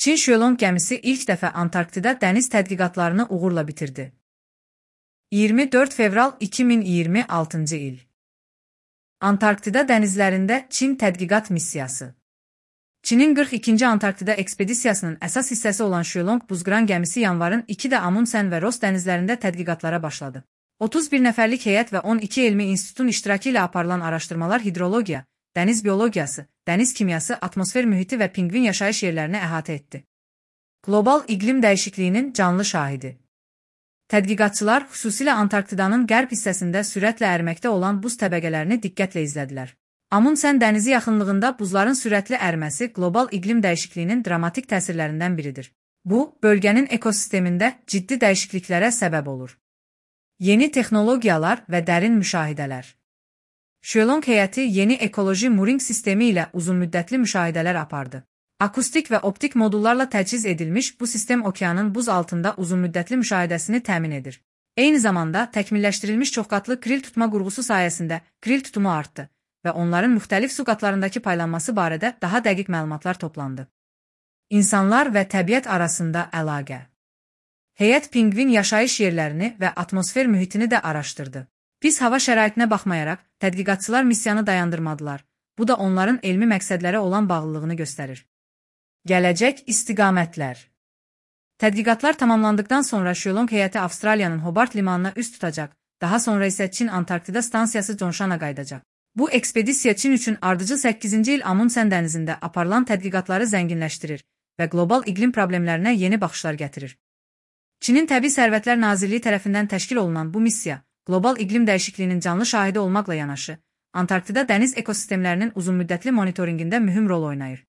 Çin Shuelong gəmisi ilk dəfə Antarktida dəniz tədqiqatlarını uğurla bitirdi. 24 fevral 2026-cı il. Antarktida dənizlərində Çin tədqiqat missiyası. Çinin 42-ci Antarktida ekspedisiyasının əsas hissəsi olan Shuelong buzqıran gəmisi yanvarın 2-də Amundsen və Ross dənizlərində tədqiqatlara başladı. 31 nəfərlik heyət və 12 elmi institutun iştirakı ilə aparılan araşdırmalar hidrologiya, dəniz biologiyası, dəniz kimyası, atmosfer mühiti və pinqvin yaşayış yerlərini əhatə etdi. Qlobal iqlim dəyişikliyinin canlı şahidi. Tədqiqatçılar xüsusilə Antarktidanın qərb hissəsində sürətlə əriməkdə olan buz təbəqələrini diqqətlə izlədilər. Amundsen dənizi yaxınlığında buzların sürətli əriməsi qlobal iqlim dəyişikliyinin dramatik təsirlərindən biridir. Bu, bölgənin ekosistemində ciddi dəyişikliklərə səbəb olur. Yeni texnologiyalar və dərin müşahidələr. Shuelong heyəti yeni ekoloji mooring sistemi ilə uzunmüddətli müşahidələr apardı. Akustik və optik modullarla təchiz edilmiş bu sistem okeanın buz altında uzunmüddətli müşahidəsini təmin edir. Eyni zamanda təkmilləşdirilmiş çoxqatlı kril tutma qurğusu sayəsində kril tutumu artdı və onların müxtəlif su qatlarındakı paylanması barədə daha dəqiq məlumatlar toplandı. İnsanlar və təbiət arasında əlaqə. Heyət pinqvin yaşayış yerlərini və atmosfer mühitini də araşdırdı. Pis hava şəraitinə baxmayaraq, tədqiqatçılar missiyanı dayandırmadılar. Bu da onların elmi məqsədlərə olan bağlılığını göstərir. Gələcək istiqamətlər. Tədqiqatlar tamamlandıqdan sonra Shuelong heyəti Avstraliyanın Hobart limanına üst tutacaq, daha sonra isə Çin Antarktida stansiyası Zhongshana qayıdacaq. Bu ekspedisiya Çin üçün ardıcıl 8-ci il Amundsen dənizində aparılan tədqiqatları zənginləşdirir və qlobal iqlim problemlərinə yeni baxışlar gətirir. Çinin Təbii Sərvətlər Nazirliyi tərəfindən təşkil olunan bu missiya, qlobal iqlim dəyişikliyinin canlı şahidi olmaqla yanaşı, Antarktida dəniz ekosistemlərinin uzunmüddətli monitorinqində mühüm rol oynayır.